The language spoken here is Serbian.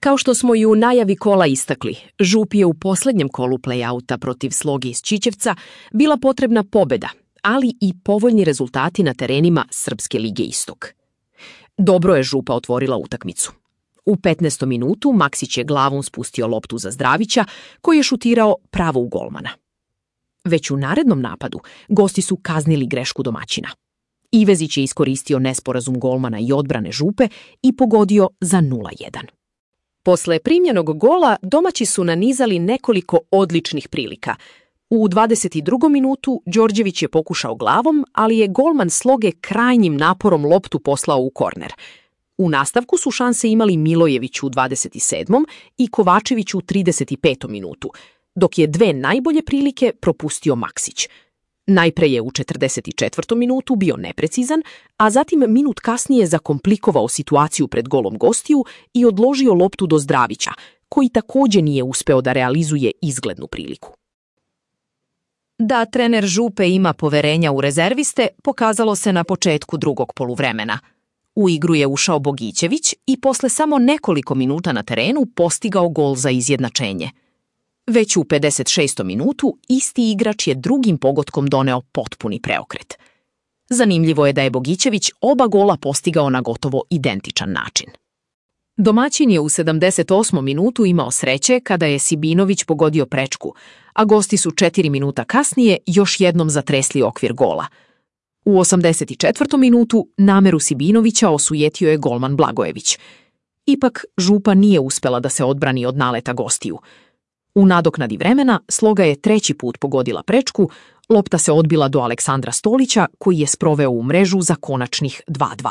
Kao što smo i u najavi kola istakli, Župi je u posljednjem kolu play-outa protiv Sloge iz Čičevca bila potrebna pobjeda, ali i povoljni rezultati na terenima Srpske lige Istok. Dobro je Župa otvorila utakmicu. U 15. minutu Maksić je glavom spustio loptu za Zdravića, koji je šutirao pravo u golmana. Već u narednom napadu gosti su kaznili grešku domaćina. Ivezić je iskoristio nesporazum golmana i odbrane Župe i pogodio za 0:1. Posle primljenog gola domaći su nanizali nekoliko odličnih prilika. U 22. minutu Đorđević je pokušao glavom, ali je golman Sloge krajnjim naporom loptu poslao u korner. U nastavku su šanse imali Milojević u 27. i Kovačević u 35. minutu, dok je dve najbolje prilike propustio Maksić. Najpre je u 44. minutu bio neprecizan, a zatim minut kasnije zakomplikovao situaciju pred golom gostiju i odložio loptu do Zdravića, koji također nije uspeo da realizuje izglednu priliku. Da trener Župe ima poverenja u rezerviste pokazalo se na početku drugog poluvremena. U igru je ušao Bogićević i posle samo nekoliko minuta na terenu postigao gol za izjednačenje. Već u 56. minutu isti igrač je drugim pogotkom doneo potpuni preokret. Zanimljivo je da je Bogićević oba gola postigao na gotovo identičan način. Domaćin je u 78. minutu imao sreće kada je Sibinović pogodio prečku, a gosti su 4 minuta kasnije još jednom zatresli okvir gola. U 84. minutu nameru Sibinovića osujetio je golman Blagojević. Ipak Župa nije uspela da se odbrani od naleta gostiju. U nadoknadi vremena Sloga je treći put pogodila prečku, lopta se odbila do Aleksandra Stolića koji je sproveo u mrežu za konačnih 2:2.